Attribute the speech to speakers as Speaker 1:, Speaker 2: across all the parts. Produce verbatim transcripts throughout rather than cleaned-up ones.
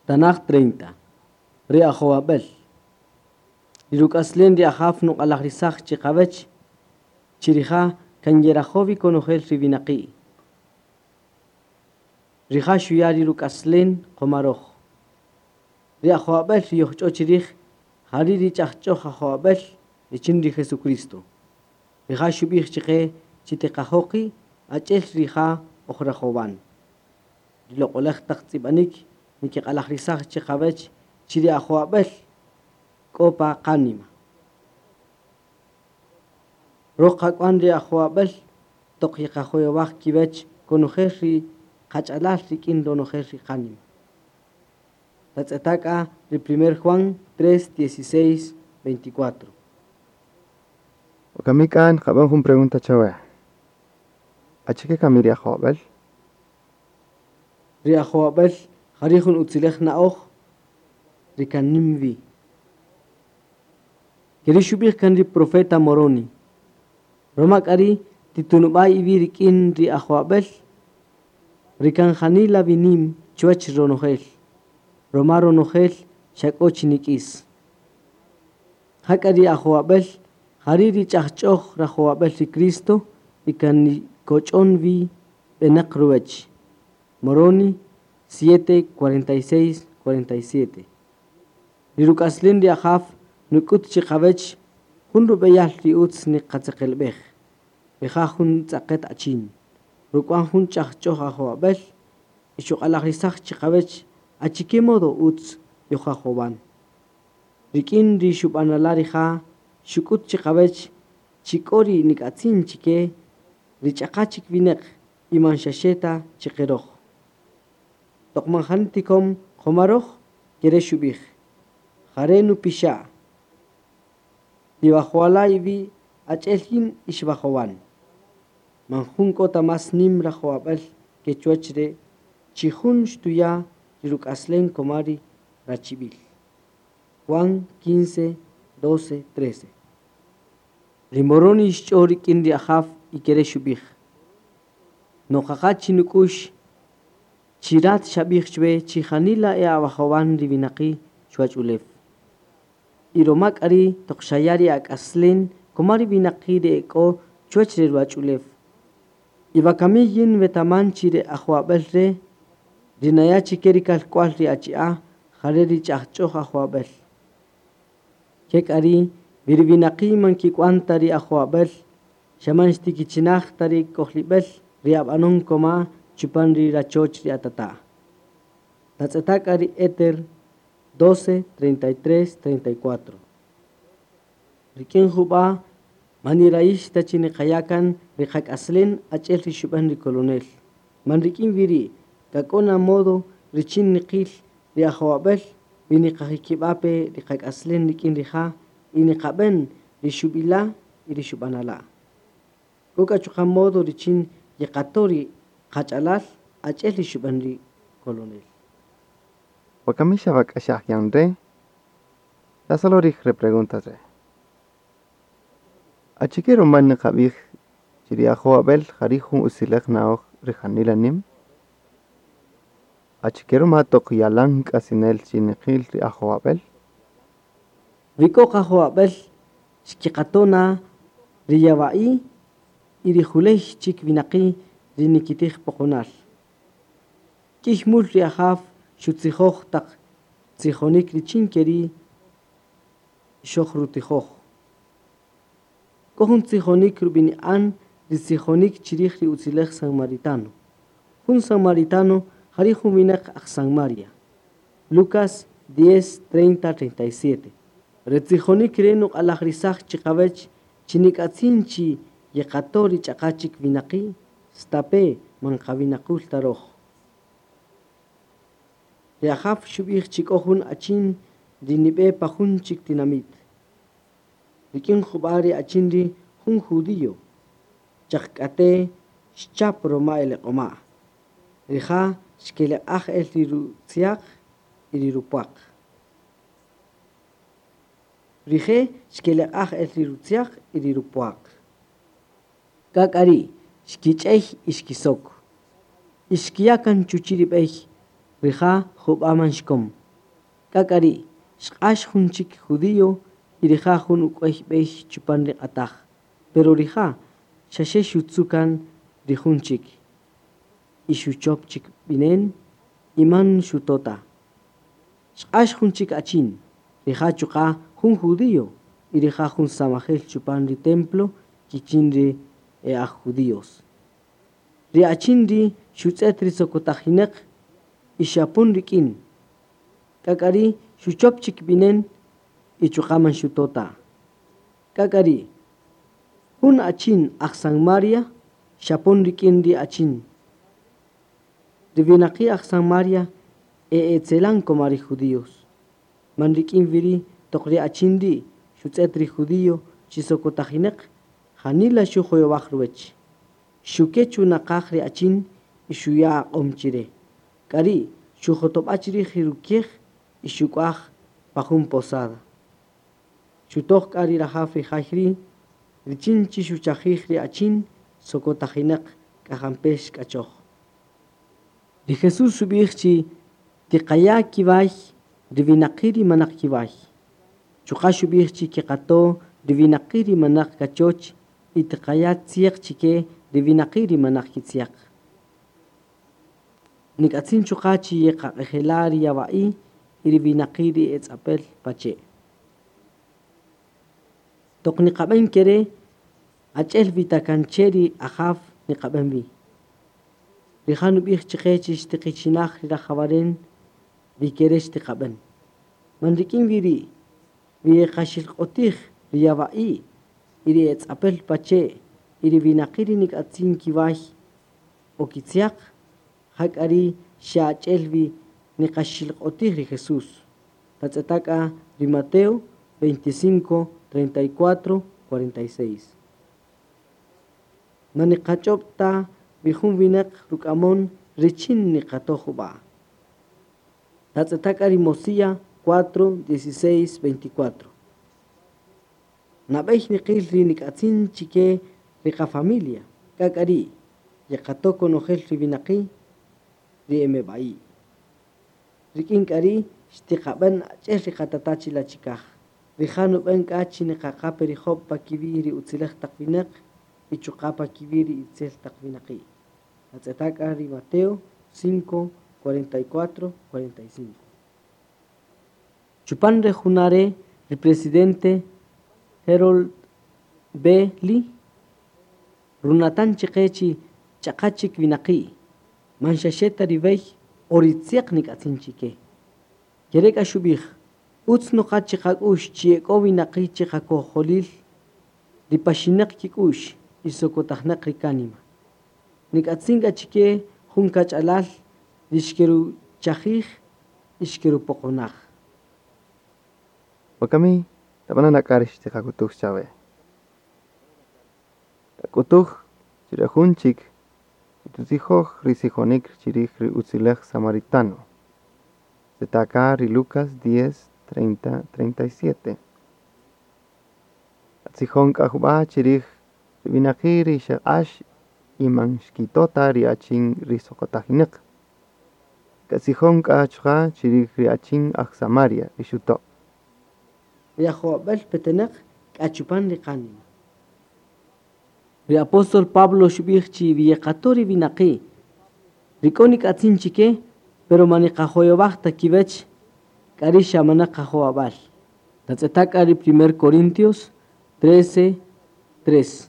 Speaker 1: Tanaj treinta. Ri ajowab'el. Ri ruk'aslen ri ajaw nuq'alajrisaj chiqawech, chirija' kan yerajowi konojel ri winaqi'. Rija' xuya' ri ruk'aslen qomaroj. Ri ajowab'el ri yojch'o chirij, jari' ri ch'ajch'oj ajowab'el richin ri Jesucristo. Rija' xub'ij chiqe chi tiqajoqi' ach'el rija' ojrajowan. Ri loq'olej taq tz'ib'anik nikiq'alajrisaj chiqawech chi ri ajowab'el k'o pa qánima. Roj qak'wan ri ajowab'el toq yeqajoyowaj kiwech konojel ri qach'alal rik'in ronojel ri qánima. Tatz'eta' k'a ri primer Juan tres, dieciséis, veinticuatro.
Speaker 2: Wakami k'a nqab'än jun pregunta chawe. Achike kami ri ajowab'el?
Speaker 1: Ri ajowab'el jari' jun utzilej na'oj ri kan nim wi. Keri' xub'ij kan ri profeta Moroni. Roma k'a ri' titunub'a' iwi' rik'in ri ajowab'el ri kan janila wi nim chuwech ronojel. Roma ronojel xa k'o chi nik'is. Jak'a ri ajowab'el jari' ri ch'ajch'oj rajowab'el ri Cristo ri kan nikoch'on wi b'enaq ruwech. Moroni siete, cuarenta y seis, cuarenta y siete. Ri ruk'aslen ri ajaw nuk'ut chiqawech jun rub'eyal ri utz niqatzeqelb'ej. Rija' jun tz'aqet achin. Ruk'wan jun ch'ajch'oj ajowab'el y xuq'alajrisaj chiqawech achike modo utz yojajowan. Rik'in ri xub'anala rija' xuk'ut chiqawech chi k'o ri nik'atzin chike ri ch'aqa chik winaq y man xaxe ta chiqeroj. Toq man jani tikom qomaroj kere xub'ij. Jare' nupixa'. Tiwajowala' iwi' ach'el yin ixwajowan. Man jun k'o ta mas nim rajowab'el ke chuwach re' chi jun xtuya' ri ruk'aslen koma ri rachib'il. Juan quince, doce, trece. Ri Moroni xch'o rik'in ri ajaw y kere xub'ij. Noqaqa chinuk'ux chirat xab'ij chwe chi janila e awajowan ri winaqi' chuwach ulew. Y roma k'a ri' toq xaya' ri ak'aslen koma ri winaqi' ri ek'o chuwach ri ruwach'ulew. Y wakami yin wetaman chi ri ajowab'el re' ri naya' chike ri kalk'wal ri achi'a' jare' ri ch'ajch'oj ajowab'el. Ke k'a ri' wi ri winaqi' man kik'wan ta ri ajowab'el xa man xtikichinaj ta ri k'ojlib'el ri ab'anon koma chupan ri rachoch ri atata'. Tatz'eta' k'a ri Éter doce, treinta y tres, treinta y cuatro. Rik'in jub'a' man nirayix ta chi niqaya' kan ri qak'aslen ach'el ri xub'an ri colonel. Man rik'in wi ri' k'a k'o na modo richin niqil ri ajowab'el wi niqajikib'a' pe ri qak'aslen rik'in rija' y niqab'en ri xub'ila' y ri xub'anala'. K'o k'a chuqa' modo richin yeqato' ri qach'alal ach'el ri xub'an ri colonel.
Speaker 2: Wakami xawak'axaj yan re', tasolorij re preguntas re'. Achike ruma niqab'ij chi ri ajowab'el jari' jun utzilej na'oj ri janila nim? Achike ruma toq yalan k'atzinel chi niqil ri ajowab'el?
Speaker 1: Wi k'o qajowab'el xkiqato' na ri yawa'i y ri juley chik winaqi' ri nikitij poqonal. K'ïy mul ri ajaw xutzijoj taq tzijonik richin keri' xojrutijoj. K'o jun tzijonik rub'ini'an ri tzijonik chirij ri utzilej samaritano. Jun samaritano jari' jun winaq aj Samaria. Lucas diez, treinta, treinta y siete. Ri tzijonik re' nuq'alajrisaj chiqawech chi nik'atzin chi yeqato' ri ch'aqa chik winaqi' stape' man qawinaqul ta roj. Ri ajaw xub'ij chi k'o jun achin ri nib'e pa jun chik tinamit. Rik'in jub'a' ri achin ri' jun judío. Chaq k'ate' xchap roma eleq'oma'. Rija' xkeleq'aj el ri rutziaq y ri rupwaq. Rije' xkeleq'aj el ri rutziaq y ri rupwaq. K'a k'a ri' xkich'ey y xkisok. Y xkiya' kan chuchi' ri b'ey Rija' jub'a' man xkom. K'a k'a ri' xq'ax jun chik judío y rija' jun uk'wäy b'ey chupan ri q'ataj. Pero rija' xaxe xutzu' kan ri jun chik. Y xuchop chik b'inen y man xuto' ta. Xq'ax jun chik achin, rija' chuqa' jun judío y rija' jun samajel chupan ri templo kichin ri e aj judíos. Ri achin ri' xutz'et ri sokotajinäq y xapon rik'in. K'a k'a ri' xuchop chik b'inen y chuqa' man xuto' ta. K'a k'a ri' jun achin aj Samaria xapon rik'in ri achin. Ri winaqi' aj Samaria e etzelan koma ri judíos. Man rik'in wi ri' toq ri achin ri' xutz'et ri judío chi sokotajinäq janila xujoyowaj ruwäch. Xuke' chunaqaj ri achin y xuya' aq'om chire. K'a ri' xujotob'a' chirij ri rukiej y xuk'waj pa jun posada. Xutoj k'a ri rajaw ri jay ri' richin chi xuchajij ri achin sokotajinäq k'a jampe' xk'achoj. Ri Jesús xub'ij chi tiqaya' kiway ri winaqi' ri manaq kiway. Chuqa' xub'ij chi keqato' ri winaqi' ri manaq kachoch y tiqaya' tziaq chike ri winaqi' ri manaq kitziaq. Nik'atzin chuqa' chi yeqaq'ejela' ri yawa'i y ri winaqi' ri etz'apel pache'. Toq niqab'en kere' ach'el wi ta kan che ri ajaw niqab'en wi. Rija' nub'ij chiqe chi xtiqichinaj ri rajawaren ri kere' xtiqab'en. Man rik'in wi ri' wi yeqaxilq'otij ri yawa'i y ri etz'apel pache' y ri winaqi' ri nik'atzin kiway o kitziaq, jak'a ri' xa ach'el wi niqaxilq'otij ri Jesús. Tatz'eta' k'a ri Mateo veinticinco, treinta y cuatro, cuarenta y seis. Man niqach'ob' ta wi jun winaq ruk'amon richin niqatoj jub'a'. Tatz'eta' k'a ri Mosía cuatro, dieciséis, veinticuatro. Nab'ey niqil ri nik'atzin chike ri qafamilia. K'a k'a ri' yeqato' konojel ri winaqi' ri emeb'a'i'. Rik'in k'a ri' xtiqab'en ach'el ri qatata' chila' chikaj. Rija' nub'en k'a chi niqaqa pe ri job' pa kiwi' ri utziläj taq winaq y chuqa' pa kiwi' ri itzel taq winaqi'. Tatz'eta' k'a ri Mateo cinco, cuarenta y cuatro, cuarenta y cinco. Chupan re juna' re' ri presidente Harold B. Lee runatan chiqe chi ch'aqa chik winaqi' man xaxe ta ri b'ey o ri tziaq nik'atzin chike. Kere' k'a xub'ij utz noqa chiqak'u'x chi ek'o winaqi' chiqakojolil ri paxinaq kik'u'x y sokotajnaq ri kánima. Nik'atzin k'a chike jun kach'alal ri xkeruchajij y xkerupoqonaj.
Speaker 2: Wakami tab'ana' k'a ri xtiqak'utuj chawe. Tak'utuj chi re jun chik chi tutzijoj ri tzijonik chirij ri utziläj samaritano. Tz'etaka ri Lucas diez, treinta, treinta y siete. Tzijon k'a jub'a' chirij ri winaqi' ri xeq'ax y man xkito' ta ri achin ri sokotajinäq. Katzijon k'a chuqa' chirij ri achin aj Samaria ri xuto'.
Speaker 1: Ri ajowab'äl petenäq k'a chupan ri qánima. Ri apóstol Pablo xub'ij chi wi yeqato' ri winaqi' ri k'o nik'atzin chike, pero man niqajoyowaj ta kiwech, k'a ri' xa manaq qajowab'äl. Tatz'eta' k'a ri primer Corintios trece, tres.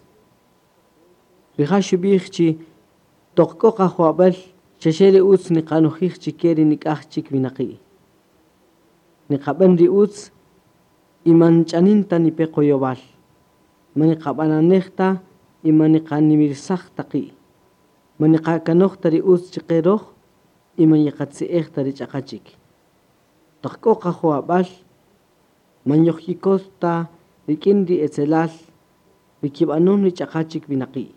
Speaker 1: Rija' xub'ij chi toq k'o qajowab'äl xaxe ri utz niqanojij chike ri nik'aj chik winaqi'. Niqab'en ri utz y man ch'anin ta nipe qoyowal. Man niqab'ananej ta y man niqanimirsaj ta qi'. Man niqakanoj ta ri utz chiqe roj y man yeqatzi'ej ta ri ch'aqa chik. Toq k'o qajowab'äl man yojkikot ta rik'in ri etzelal ri kib'anon ri ch'aqa chik winaqi'.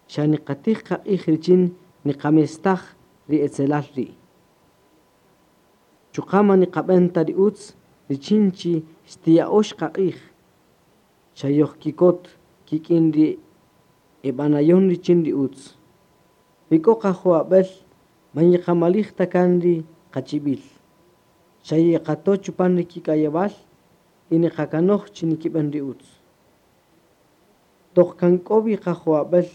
Speaker 1: Xa niqatij qaq'ij richin niqamestaj ri etzelal ri'. Chuqa' man niqab'en ta ri utz richin chi xtiya'ox qaq'ij. Xa yojkikot kik'in ri eb'anayon richin ri utz. Wi k'o qajowab'äl man yeqamalij ta kan ri qachib'il. Xa yeqato' chupan ri kik'ayewal y niqakanoj chi nikib'an ri utz. Toq kan k'o wi qajowab'äl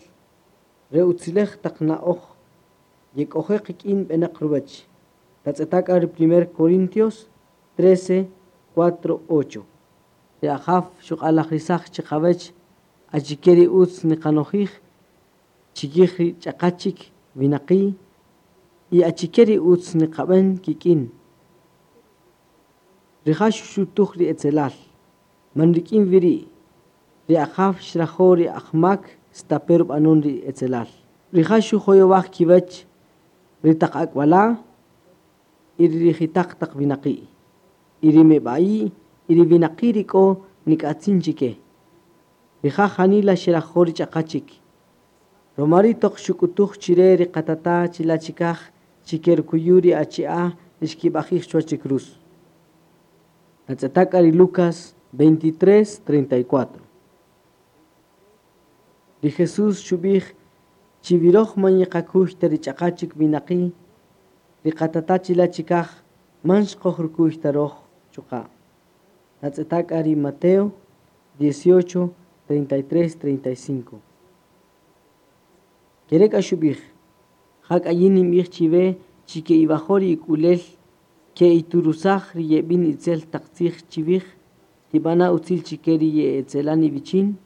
Speaker 1: re utzilej taq na'oj yek'oje' qik'in b'enaq ruwäch. Tatz'eta' k'a ri primer Corintios trece, cuatro, ocho. Ri Ajaw xuq'alajrisaj chiqawech achike ri utz niqanojij chikij ri ch'aqa chik winaqi' y achike ri utz niqab'an kik'in. Rija' xuxutuj ri etzelal, man rik'in wi ri'. Ri Ajaw xrajo' ri ajmak stape' rub'anon ri etzelal. Rija' xujoyowaj kiwech ri taq ak'wala' y ri rijitaq taq winaqi', y ri meb'a'i' y ri winaqi' ri k'o nik'atzin chike. Rija' janila xerajo' ri ch'aqa chik. Ruma ri' toq xuk'utuj chire ri qatata' chila' chikaj chike rukuyu' ri achi'a' ri xkib'ajij chuwach ri cruz. Tatz'eta' k'a ri Lucas veintitrés, treinta y cuatro. Ri Jesús xub'ij chi wiroj man yeqakuy ta ri ch'aqa chik winaqi', ri qatata' chila' chikaj man xqojrukuy ta roj chuqa'. Tatz'eta' k'a ri Mateo dieciocho, treinta y tres, treinta y cinco. Kere k'a xub'ij, ja k'a yin ninb'ij chiwe chi ke'iwajo' ri ik'ulel, ke'iturusaj ri yeb'in itzel taq tzij chiwij, tib'ana' utzil chike ri ye'etzelan iwichin,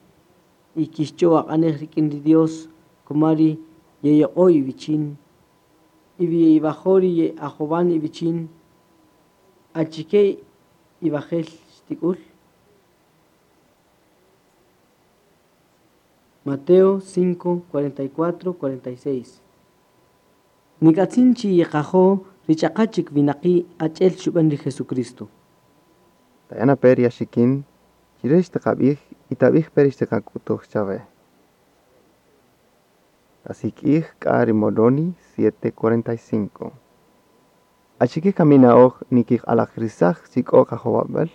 Speaker 1: y kixch'o aq'anej rik'in ri Dios kuma ri yeyoq'o iwichin, y wi ye'iwajo' ri ye'ajowan iwichin, achike iwajel xtik'ul. Mateo cinco, cuarenta y cuatro, cuarenta y seis. Nik'atzin chi yeqajo' ri ch'aqa chik winaqi' ach'el xub'an ri Jesucristo.
Speaker 2: Taya' pe ri axikin chire xtiqabij y tabij-pe ri xtiqak'utuj chawe. Tasik'ij k'a ri Moroni siete cuarenta y cinco. Achike kami na'oj nikiq'alajirisaj chi k'o qajowab'äl?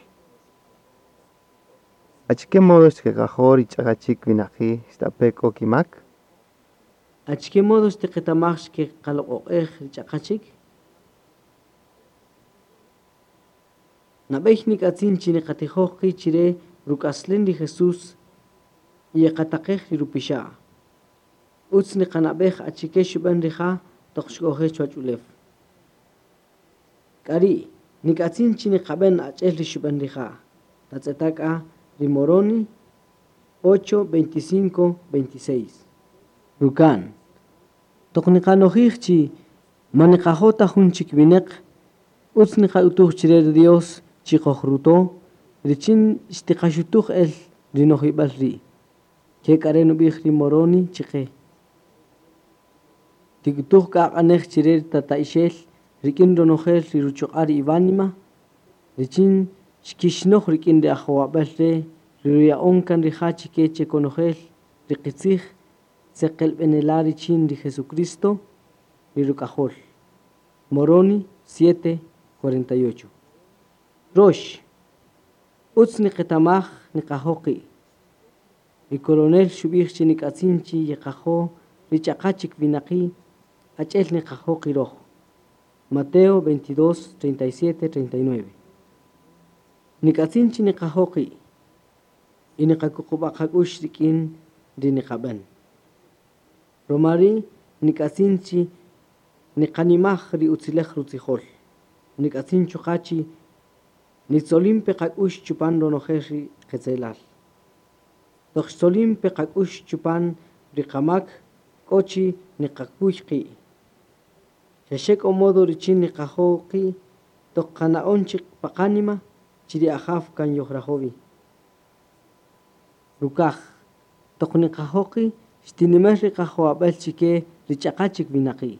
Speaker 2: Achike modo xtiqajo' ri ch'aqa chik winaqi' xtape' k'o kimak?
Speaker 1: Achike modo xtiqetamaj xkeqaloq'oq'ej ri ch'aqa chik? Nab'ey nik'atzin chi niqatijoj qi' chire ruk'aslen ri Jesús y yeqataqej ri rupixa'. Utz niqanab'ej achike xub'an rija' toq xk'oje' chuwach ulew. K'a ri' nik'atzin chi niqab'an ach'el ri xub'an rija'. Tatz'eta' k'a ri Moroni ocho, veinticinco, veintiséis. Ruka'n. Toq niqanojij chi ma niqajo' ta jun chik winaq, utz niqa'utuj chire ri Dios chi qojruto, richin xtiqaxutuj el ri nojib'al ri'. Ke k'a re' nub'ij ri Moroni chiqe. Tik'utuj k'a aq'anej chire ri tata'ixel rik'in ronojel ri ruchuq'a' ri iwánima, richin xkixnoj rik'in ri ajowab'äl re' ri ruya'on kan rija' chike che konojel ri qitzij tzeqelb'enela' richin ri Jesucristo ri ruk'ajol. Moroni siete, cuarenta y ocho. Rox, utz niqetamaj niqajo' qi'. Ri coronel xub'ij chi nik'atzin chi yeqajo' ri ch'aqa chik winaqi' ach'el niqajo' qiroj. Mateo veintidós, treinta y siete, treinta y nueve. Nik'atzin chi niqajo' qi' y niqakuqub'a' qak'ux rik'in ri niqab'an. Ruma ri' nik'atzin chi niqanimaj ri utzilej rutzijol. Nik'atzin chuqa' chi nitzolin pe qak'ux chupan ronojel ri qetzelal. Toq xtzolin pe qak'ux chupan ri qamak k'o chi niqakuy qi'. Xaxe k'o modo richin niqajo' qi' toq qana'on chik paqánima chi ri Ajaw kan yojrajowi. Rukaj, toq niqajo' qi' xtinimer ri qajowab'äl chike ri ch'aqa chik winaqi'.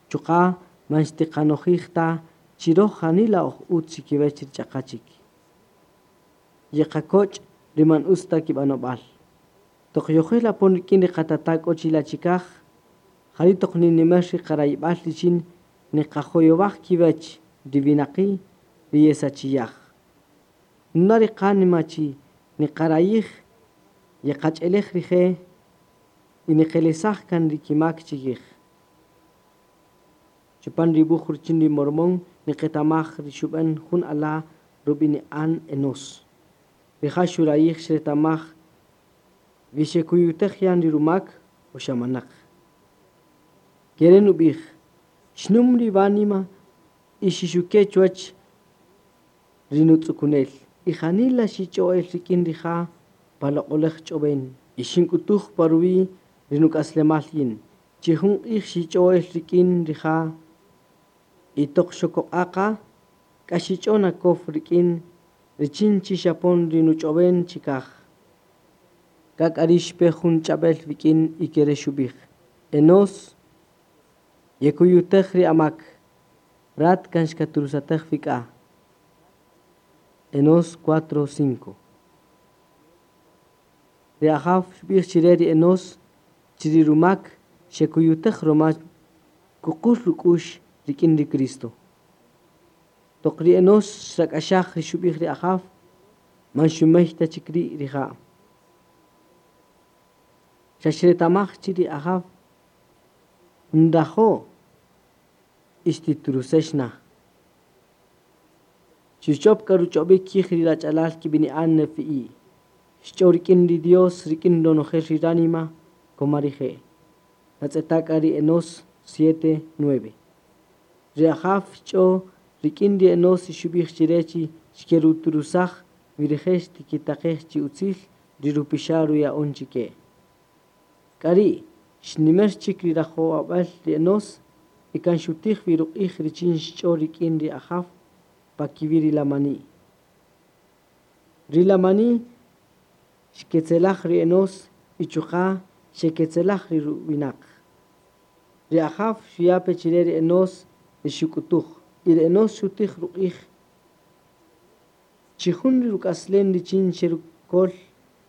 Speaker 1: Chuqa' man xtiqanojij ta chi roj janila oj utz chikiwech ri ch'aqa chik. Yeqakoch' ri man utz ta kib'anob'al. Toq yojel apon rik'in ri qatata' k'o chila' chikaj, jari' toq ninimer ri qarayib'al richin niqajoyowaj kiwech ri winaqi' ri yesachiyaj. Nuna ri qánima chi niqarayij yeqach'elej rije' y niqelesaj kan ri kimak chikij. Chupan ri wuj richin ri Mormón niqetamaj ri xub'än jun ala' rub'ini'an Enós. Rija' xurayij xretamaj wi xekuyutej yan ri rumak o xa manaq. Kere' nub'ij, xnum ri wánima y xixuke' chuwach ri nutz'ukunel. Y janila xich'o'el rik'in rija' pa loq'olaj ch'ob'en. Y xink'utuj pa ruwi' ri nuk'aslemal yin. Chi jun q'ij xich'o'el rik'in rija' y toq xokoq'aqa k'a xich'on akow rik'in richin chi xapon ri nuch'ob'en chikaj. K'a k'a ri' xpe jun ch'ab'el wik'in y kere' xub'ij: Enós, yekuyutej ri amak, rat kan xkaturusatej wik'a. Enós cuatro cinco. Ri Ajaw xub'ij chire ri Enós chi ri rumak xekuyutej roma kuqul ruk'u'x rik'in ri Cristo. Toq ri Enós xrak'axaj ri xub'ij ri Ajaw, man xumey ta chik ri' rija'. Xa xretamaj chi ri Ajaw nrajo' y xtiturusex na. Xuchop k'a ruch'ob'ik kij ri rach'alal kib'ini'an Nefi'i. Xch'o rik'in ri Dios rik'in ronojel ri ránima koma rije'. Tatz'eta' k'a ri Enós siete nueve. Ri Ajaw xch'o rik'in ri Enós y xub'ij chire chi xkeruturusaj wi rije' xtikitaqej chi utzil ri rupixa' ruya'on chike. K'a ri' xnimer chik ri rajowab'äl ri Enós y kan xutij wi ruq'ij richin xch'o rik'in ri Ajaw pa kiwi' ri lamani'. Ri lamani' xketzelaj ri Enós y chuqa' xeketzelaj ri ruwinaq. Ri Ajaw xuya' pe chire ri Enós ri xuk'utuj y ri Enós xutij ruq'ij chi jun ri ruk'aslen richin xerukol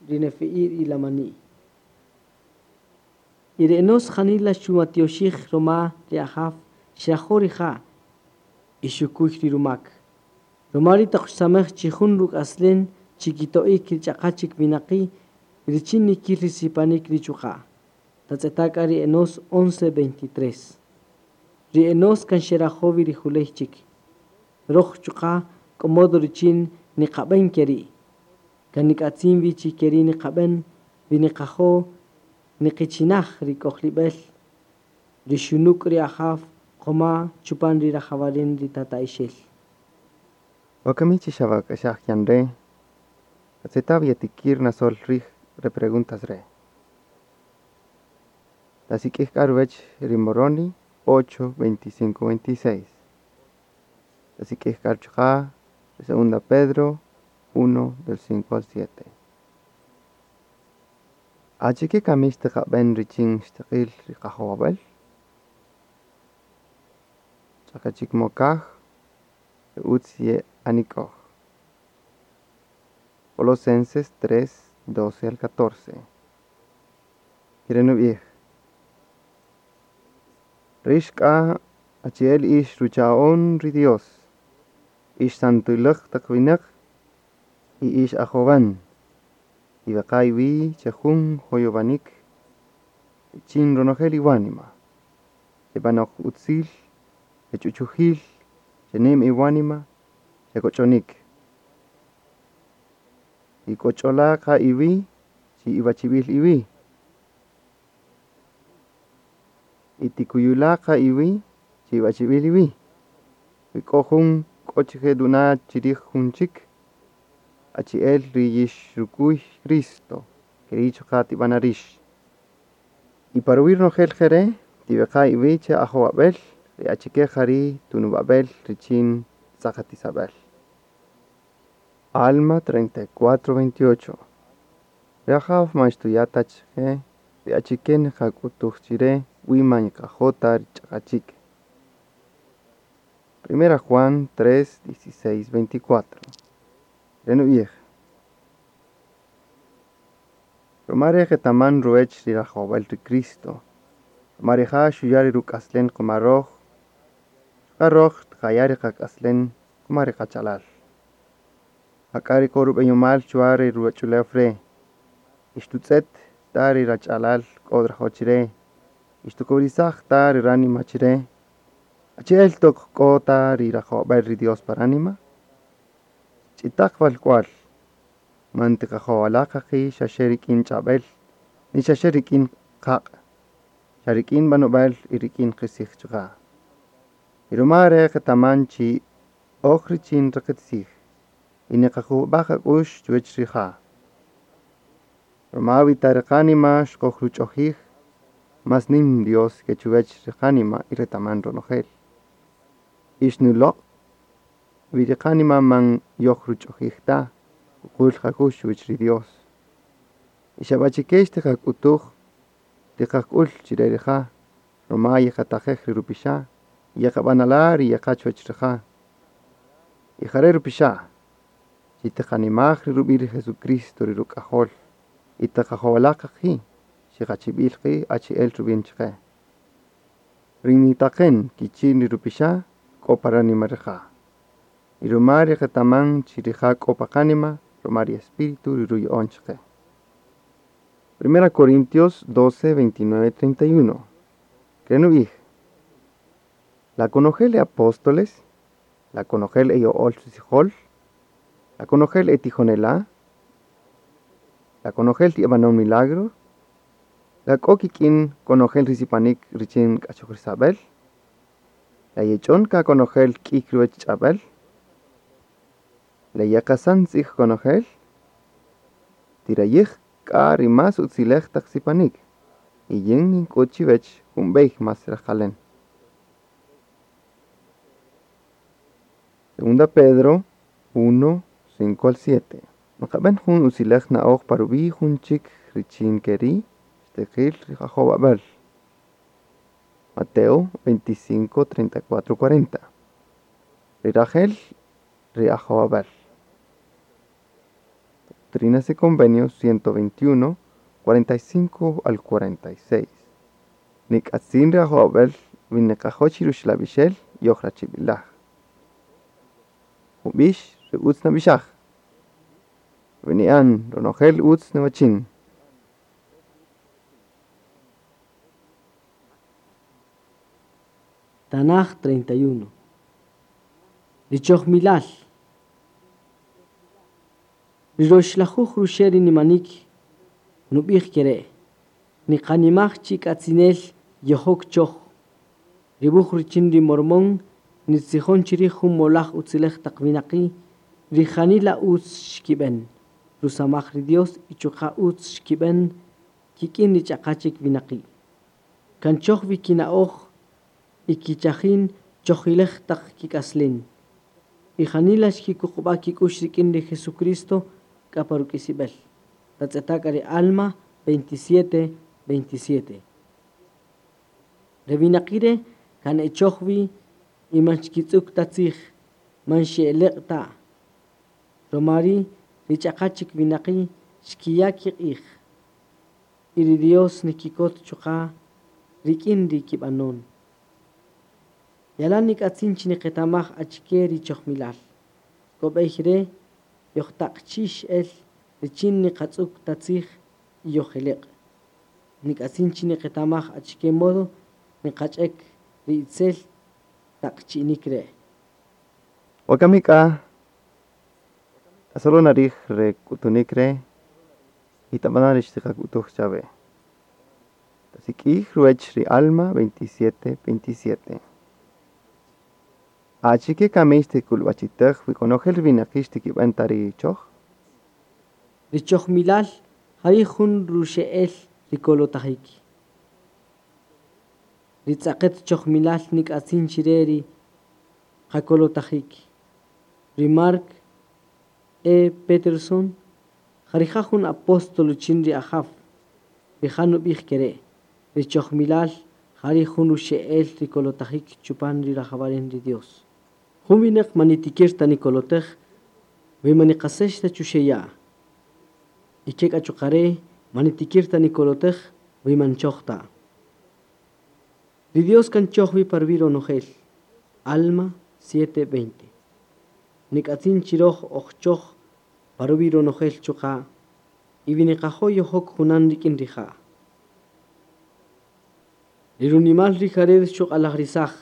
Speaker 1: ri Nefi'i y lamani'. Y ri Enós janila xumatioxij roma ri Ajaw xrajo' rija' y xukuy ri rumak. Roma ri' toq xsamej chi jun ruk'aslen chikito'ik ri ch'aqa chik winaqi' richin nikil ri sipanik ri chuqa'. Tatz'eta' k'a ri Enós once veintitrés. Ri Enós kan xerajo' wi ri juley chik. Roj chuqa' k'o modo richin niqab'än keri'. Kan nik'atzin wi chi keri' niqab'än wi niqajo' niqichinaj ri k'ojlib'el ri xunuk' ri Ajaw qoma chupan ri rajawaren ri tata'ixel.
Speaker 2: Wakami chi xawak'axaj yan re', tatz'eta' wi yatikir nasol rij re preguntas re'. Tasik'ij k'a ruwech ri Moroni ocho, veinticinco, veintiseis. Tasik'ij k'a chuqa' ri segunda Pedro uno, del cinco al siete. Achike kami xtiqaben richin xtiqil ri qajowabel? Ch'aqa' chik mokaj ri utz ye'anik'oj. Colosenses tres, doce al catorce. Kere' nubij: Rix k'a achi'el ix rucha'on ri Dios, ix santilej taq wineq y ix ajowan. Tiweqa-iwi' che jun joyowanik richin ronojel iwánima. Xebanoq utzil, xech'uchujil, xenim iwánima, xekoch'onik. Tikoch'ola-qa-iwi' chi iwachibil-iwi'. Y tikuyula-qa-iwi' chi iwachibil-iwi'. Wi k'o jun k'o chije nuna' chirij jun chik, achi'el ri yixrukuy Cristo, keri' chuqa' tibana' rix. Y pa ruwi' ronojel jere', tiweqa-iwi' che ajowabel ri achike jari' tunubabel richin tz'aqatisabel. Alma treinta y cuatro, veintiocho. Ri Ajaw man xtuya' ta chiqe ri achike niqak'utuj chire wi man yeqajo' ta ri ch'aqa' chik. Primera Juan tres, dieciséis, veinticuatro. Re' nubij: Roma re' qetaman ruwech ri rajowabal ri Cristo. Roma rija' xuya' ri ruk'aslen qoma roj, chuqa' roj tiqaya' ri qak'aslen koma ri qach'alal. Jak'a ri k'o rubeyomal chuwa re ruwach'ulew re', y xtutz'et ta ri rach'alal k'o nrajo' chire y xtukowirisaj ta ri ránima chire, Achi'el toq k'o ta ri rajowab'äl ri Dios pa ránima? Ch'itaq walk'wal, man tiqajowala' qa qi' xaxe rik'in ch'ab'el, ni xaxe rik'in qaq', xa rik'in b'anob'äl y rik'in qisij chuqa'. Y ruma re' qetaman chi oj richin ri qitzij, y niqajub'a' qak'u'x chuwech rija'. Ruma wi ta ri qánima xqojruch'ojij, más nim Dios ke chuwech ri qánima y retaman ronojel. Y xnuloq' wi ri qánima man yojruch'ojij ta, kuqul qak'u'x chuwech ri Dios. Y xabachike xtiqak'utuj, tiqak'ul chire rija', ruma yeqataqej ri rupixa' y yeqabanala' ri yeqa' chuwech rija'. Y jare' rupixa', chi tiqanimaj ri rubi' ri Jesucristo ri Ruk'ajol, y tiqajowala' qa qi' chiqachibil qi' achi'el rubin chiqe. Ri nitaqen kichin ri rupixa' k'o pa ránima rija'. Y ruma ri qetaman chi rija' k'o pa qánima, ruma ri Espíritu ri ruya'on chiqe. Primera Corintios doce, veintinueve, treinta y uno. Krenu'ij. La konojel e apóstoles, la konojel e yo'ol tzijol, la konojel e tijonela', la konojel yeb'anon milagro, la k'o kik'in konojel ri sipanik richin k'achojrisab'el, la yech'on ka konojel k'ik ruwech ch'ab'el, la yeqasan tzij konojel, tirayij k'a ri más utzilej taq sipanik, y yin nink'ut chiwech jun b'ey más rejqalen. Segunda Pedro uno, cinco al siete. Nqab'en jun utzilej na'oj pa rub'i' jun chik richin keri' xtiqil ri qajowab'äl. Mateo veinticinco, treinta y cuatro, cuarenta. Ri rajel ri ajowab'äl. Doctrinas y Convenios ciento veintiuno, cuarenta y cinco al cuarenta y seis. Nik'atzin ri ajowab'äl wi niqajo' chi ruxlab'ixel yoj rachib'ilaj. Jun b'ix ri utz nab'ixaj. Rub'ini'an ronojel utz niwachin.
Speaker 1: Tanaj treinta y uno. Richoh milal. Riroxlajuj ruxe' nimanik nub'ij kere'. Niqanimaj chik'atzinel yojok choj. Ribuj richin ri mormón nitzijon chirij jun molaj utzilej taq winaqi' rijanila utz xkib'en. Rusamaj ri Dios y chuqa' utz xkib'en kik'in rich'aqa chik winaqi'. Kan choj wi kina'oj y kichajin chojilej taq kik'aslen. Y janila xkikuqub'a kik'ux rik'in ri Jesucristo k'a pa ruk'isib'el. Tatz'etaka ri Alma veintisiete, veintisiete. Re winaqi' re' kan echoj wi y man xkitz'uk ta tzij, man xe'eleq' ta. Roma ri' rich'aqa chik winaqi' xkiya' kiq'ij. Y ri Dios nikikot chuqa' rik'in ri kib'anon. Yalan nik'atzin chi niqetamaj achike ri chojmilal. K'o b'ey re' yojtaqchix el richin niqatz'uk ta tzij y yojeleq'. Nik'atzin chi niqetamaj achike modo niqach'ek ri itzel taqchi'inik re'.
Speaker 2: Wakami k'a, solo narij re k'utunik re' y tab'ana' ri xtiqak'utuj chawe. Tasik'ij ruwech ri Alma veintisiete, veintisiete. Achike kami xtik'ulb'achitej wi konojel ri winaqi' xtikib'en ta ri choj?
Speaker 1: Ri chojmilal jari jun ruxe'el ri kolotajik. Ri tz'aqet chojmilal nik'atzin chire ri qakolotajik. Ri Mark E. Peterson jarija jun apóstol chin ri Ajaw. Rija' nub'ij kere'. Ri chojmilal jari jun ruxe'el ri kolotajik chupan ri rajawaren ri Dios. Jun winaq manitikir ta nikolotej, wi maniqasex ta chuxeya'. Y ke k'a chuqare' manitikir ta nikolotej, wi manchoj ta. Ri Dios kan choj wi parwi ronojel. Alma siete veinte. Nik'atzin chiroj oj choj parwi ronojel chuqa', y wi niqajo' yojok junan rik'in rija'. Ri runimal ri Jared xuq'alajrisaj,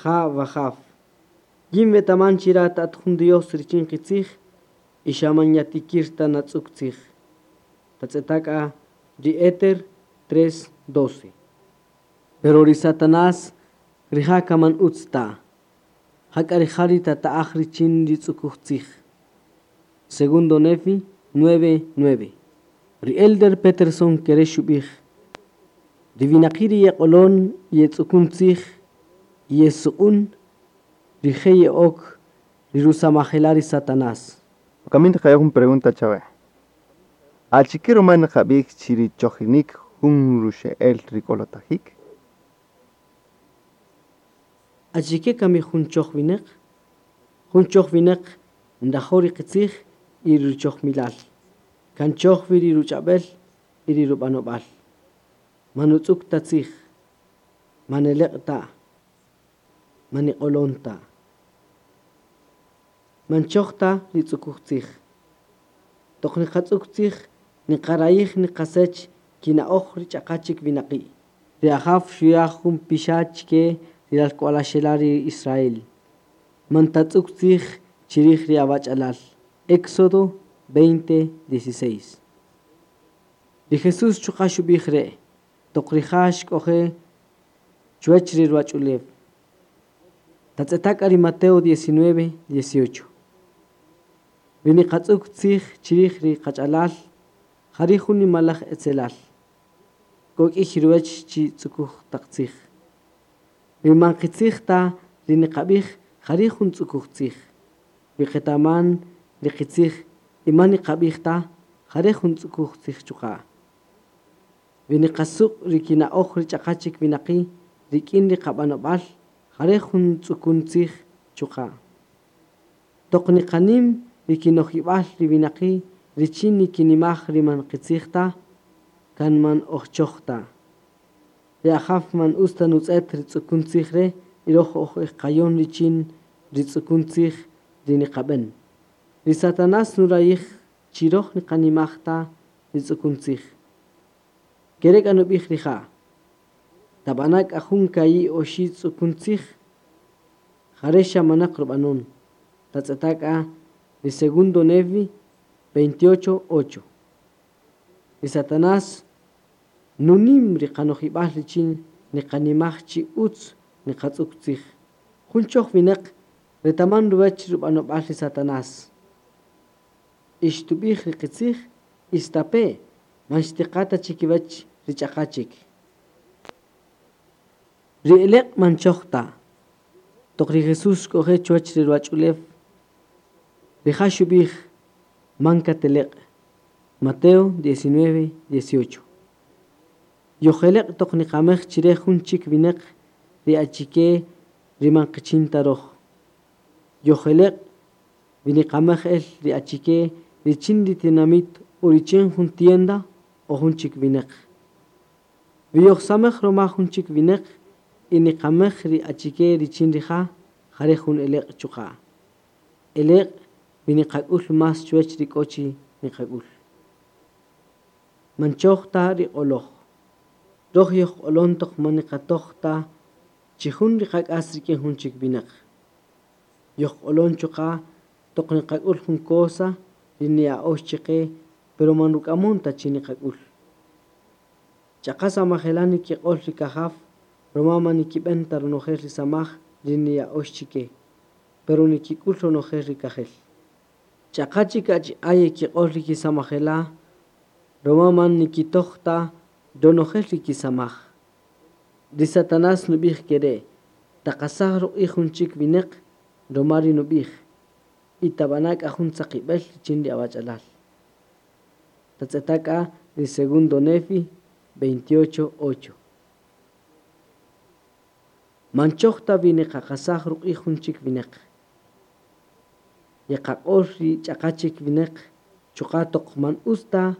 Speaker 1: Ja', Wajaw. Yin wetaman chi rat at jun Dios richin qitzij y xa man yatikir ta natz'uk tzij. Tatz'eta' k'a ri Éter tres doce. Pero ri Satanás rija' kan man utz ta. Jak'a rija' ri tata'aj richin ri tz'ukuj tzij. Segundo Nefi nueve nueve. Ri Elder Peterson kere xub'ij: Ri winaqi' ri yeq'olon yetz'ukun tzij y yesuq'un, rije' ye'ok ri rusamajela' ri Satanás.
Speaker 2: Wakami niqaya' jun pregunta chawe. Achike ruma niqab'ij chi ri chojinïk jun ruxe'el ri kolotajik?
Speaker 1: Achike kami jun choj winäq? Jun choj winäq nrajo' ri qitzij y ri ruchojmilal. Kan choj wi ri ruch'ab'äl y ri rub'anob'al. Man nutz'uk ta tzij, man neleq' ta, man niq'olon ta. Man choj ta ri tz'ukuj tzij. Toq niqatz'uk tzij, niqarayij niqasech kina'oj ri ch'aqa chik winaqi'. Ri Ajaw xuya' jun pixa' chike ri ralk'walaxela' ri Israel. Man tatz'uk tzij chirij ri awach'alal. Éxodo veinte dieciséis. Ri Jesús chuqa' xub'ij re', toq rija' xk'oje' chuwäch ri ruwach'ulew. Tatz'eta' k'a ri Mateo diecinueve dieciocho. Ri niqatz'uk tzij chirij ri qach'alal, jari' jun nimalaj etzelal. K'o k'iy ruwäch chi tz'ukuj taq tzij. Wi man qitzij ta ri niqab'ij, jari' jun tz'ukuj tzij. Wi qetaman ri qitzij y man niqab'ij ta, jari' jun tz'ukuj tzij chuqa'. Wi niqasuq' ri kina'oj ri ch'aqa chik winaqi' rik'in ri qab'anob'al, jari' jun tz'ukun tzij chuqa'. Toq niqanim ri kinojib'al ri winaqi' richin nikinimaj ri man qitzij ta, kan man oj choj ta. Ri Ajaw man utz ta nutz'et ri tz'ukun tzij re' y roj oj ejqayon richin ri tz'ukun tzij ri niqab'en. Ri Satanás nurayij chi roj niqanimaj ta ri tz'ukun tzij. Kere k'a nub'ij rija': Tab'ana' k'a jun ka'i' oxi' tz'ukun tzij, jare' xa manaq rub'anon. Tatz'eta' k'a ri segundo Nefi veintiocho ocho. Ri Satanás nunim ri qanojib'al richin niqanimaj chi utz niqatz'uk tzij. Jun choj winäq retaman ruwäch rub'anob'al ri Satanás. Ixtub'ij ri qitzij, istape' man xtiqa ta chikiwäch ri ch'aqa chik. Ri eleq' man choj ta. Toq ri Jesús xk'oje' chuwäch ri ruwach'ulew, rija' xub'ij: Man kateleq'. Mateo diecinueve dieciocho. Yojeleq' toq niqamej chire jun chik winäq ri achike ri man qichin ta roj. Yojeleq' wi niqamej el ri achike richin ri tinamit o richin jun tienda o jun chik winäq. Wi yojsamej roma jun chik winäq y niqamej ri achike richin rija', jare' jun eleq' chuqa'. Eleq' wi niqak'ul más chuwäch ri k'o chi niqak'ul. Man choj ta ri q'oloj. Roj yojq'olon toq man niqatoj ta chi jun ri qak'as rik'in jun chik winäq. Yojq'olon chuqa' toq niqak'ul jun cosa ri niya'ox chiqe, pero man ruk'amon ta chi niqak'ul. Ch'aqa samajela' nikiq'ol ri kajaw, roma man nikib'en ta ronojel ri samaj ri niya'ox chike, pero nikik'ul ronojel ri kajel. Ch'aqa chik achi'a' yekiq'ol ri kisamajela', roma man nikitoj ta ronojel ri kisamaj. Ri Satanás nub'ij kere': Taqasaj ruq'ij jun chik winäq roma ri nub'ij, y tab'ana' k'a jun tzaqib'äl richin ri awach'alal. Tatz'eta' k'a ri segundo Nefi veintiocho ocho. Man choj ta wi niqaqasaj ruq'ij jun chik winäq. Yeqaq'ol ri ch'aqa chik winäq chuqa' toq man utz ta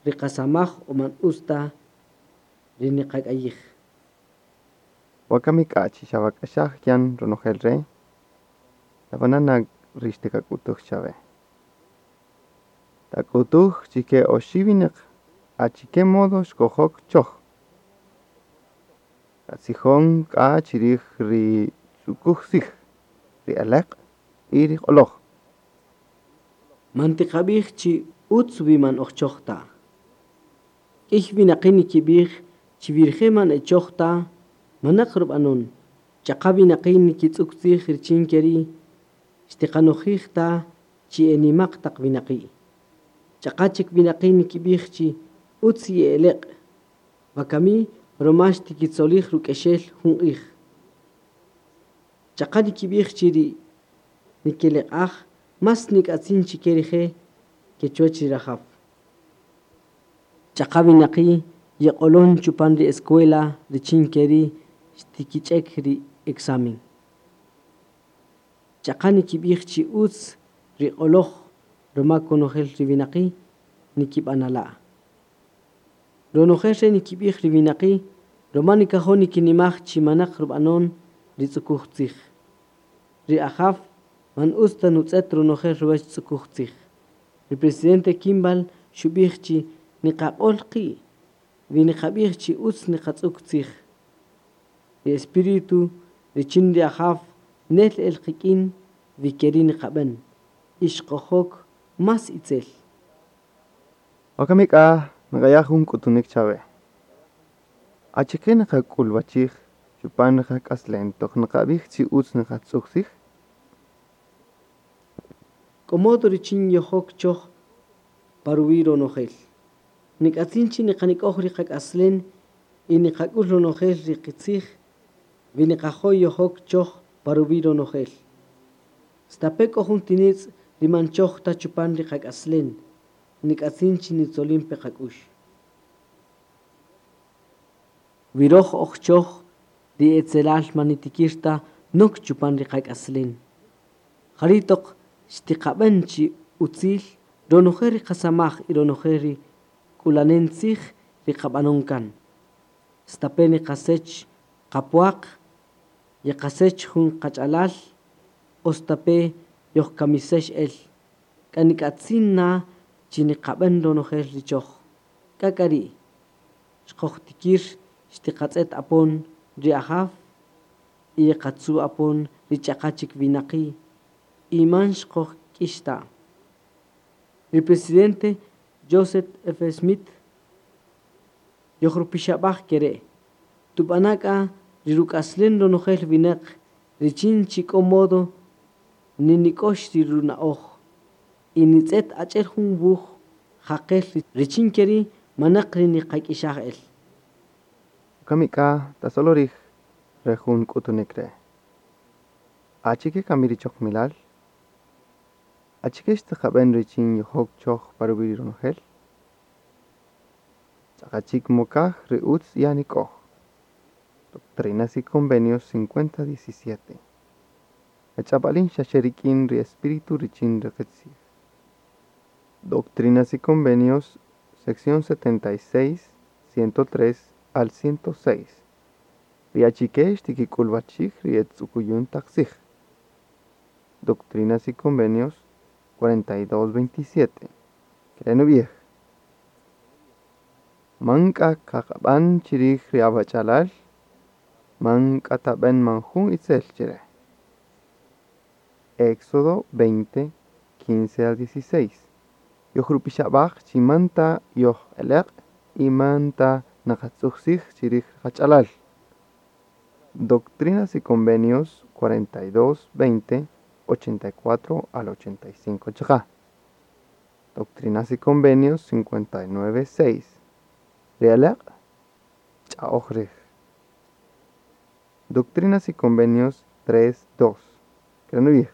Speaker 1: ri qasamaj o man utz ta ri niqak'ayij.
Speaker 2: Wakami k'a chi xawak'axaj yan ronojel re', tabana' na ri xtiqak'utuj chawe. Tak'utuj chike oxi' wineq achike modo xkojok choj. Katzijon k'a chirij ri tz'ukuj tzij, ri eleq' y ri q'oloj.
Speaker 1: Man tiqab'ij chi utz wi man oj choj ta. K'iy winaqi' nikib'ij chi wi rije' man e choj ta, manaq rub'anon. Ch'aqa winaqi' nikitz'uk tzij richin ke ri' xtiqanojij ta chi e nima'q taq winaqi'. Ch'aqa chik winaqi' nikib'ij chi utz ye'eleq', wakami ruma xtikitzolij ruk'exel jun q'ij. Ch'aqa nikib'ij chi ri nikeleq'aj más nik'atzin chike rije' ke chuwäch ri rajaw. Ch'aqa winaqi' yeq'olon chupan ri escuela richin ke ri' xtikich'ek ri examen. Ch'aqa nikib'ij chi utz ri q'oloj ruma konojel ri winaqi' nikib'anala'. Ronojel re' nikib'ij ri winaqi' ruma nikajo' nikinimaj chi manaq rub'anon ri tz'ukuj tzij. Ri Ajaw man utz ta nutz'et ronojel ruwäch tz'ukuj tzij. Ri presidente Kimball xub'ij chi niqaq'ol qi' wi niqab'ij chi utz niqatz'uk tzij. Ri espíritu richin ri Ajaw nel el qik'in wi ke ri' niqab'än y xqojok más itzel.
Speaker 2: Wakami k'a nqaya' jun k'utunik chawe. Achike niqak'ulwachij chupan ri qak'aslem toq nqab'ij chi utz niqatz'uk tzij?
Speaker 1: K'o modo richin yojok choj pa ruwi' ronojel. Nik'atzin chi niqanik'oj ri qak'aslem y niqak'ul ronojel ri qitzij wi niqajo' yojok choj pa ruwi' ronojel. Stape' k'o jun tinitz' ri man choj ta chupan ri qak'aslem, nik'atzin chi nitzolin pe qak'ux. Wi roj oj choj, ri etzelal man nitikir ta nok chupan ri qak'aslem. Jari' toq xtiqab'än chi utzil ronojel ri qasamaj y ronojel ri k'ulanen tzij ri qab'anon kan. Stape' niqasech qapwaq, yeqasech jun qach'alal, o stape' yojkamisex el. K'a nik'atzin na chi niqab'än ronojel ri choj. K'a k'a ri' xqojtikir xtiqatz'et apon ri Ajaw y yeqatzu' apon ri ch'aqa chik winaqi' y man xqojk'ix ta. Ri presidente Joseph F. Smith yojrupixab'aj ke re', tub'ana' k'a ri ruk'aslem ronojel winäq richin chi k'o modo ninik'ox ri runa'oj y nitz'et achi'el jun wuj jaqel richin ke ri' manaq ri niqak'ixaj el.
Speaker 2: Wakami k'a tasolorij re jun k'utunik re'. Achike kami ri chojmilal? Achike xtiqab'än richin yojok choj pa ruwi' ronojel? Ch'aqa chik mokaj ri utz ye'anik'oj. Doctrinas y Convenios cincuenta diecisiete. Ech'ab'alin xa xe rik'in ri espíritu richin ri qitzij. Doctrinas y Convenios, sección setenta y seis, ciento tres al ciento seis. Ri achike xtikik'ulwachij ri e tz'ukuyun taq tzij. Doctrinas y Convenios cuarenta y dos, veintisiete. Kere' nub'ij. Man k'a kaq'ab'an chirij ri awach'alal, man k'a tab'en man jun itzel chire. Éxodo veinte, quince al dieciséis. Yojrupixab'aj chi manta yojeleq' y manta naqatz'uj tzij chirij qach'alal. Doctrinas y Convenios cuarenta y dos, veinte, ochenta y cuatro al ochenta y cinco chuqa'. Doctrinas y Convenios cincuenta y nueve, seis. Ri eleq' ch'a'oj rij. Doctrinas y Convenios tres, dos. Kere' nub'ij.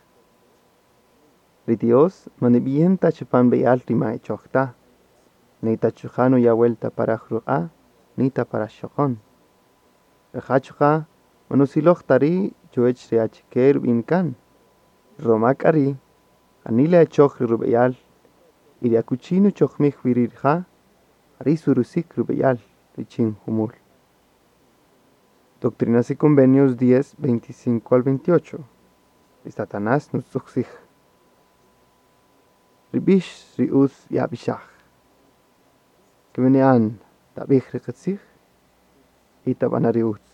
Speaker 2: Ri Dios man nib'iyin ta chupan b'eyal ri ma e choj ta, ni ta chuqa' nuya' vuelta para ruq'a', ni ta para xokon. Rija' chuqa' man nusiloj ta ri' chuwech ri achike rub'in kan. Roma k'a ri' janila e choj ri rub'eyal y ri akuchi nuchojmij wi ri rija', jari' surusik rub'eyal richin jumul. Doctrinas y Convenios diez, veinticinco al veintiocho. Ri Satanás nutz'uj tzij. Ri b'ix ri utz yab'ixaj. Kib'ini'an tab'ij ri qitzij y tab'ana' ri utz.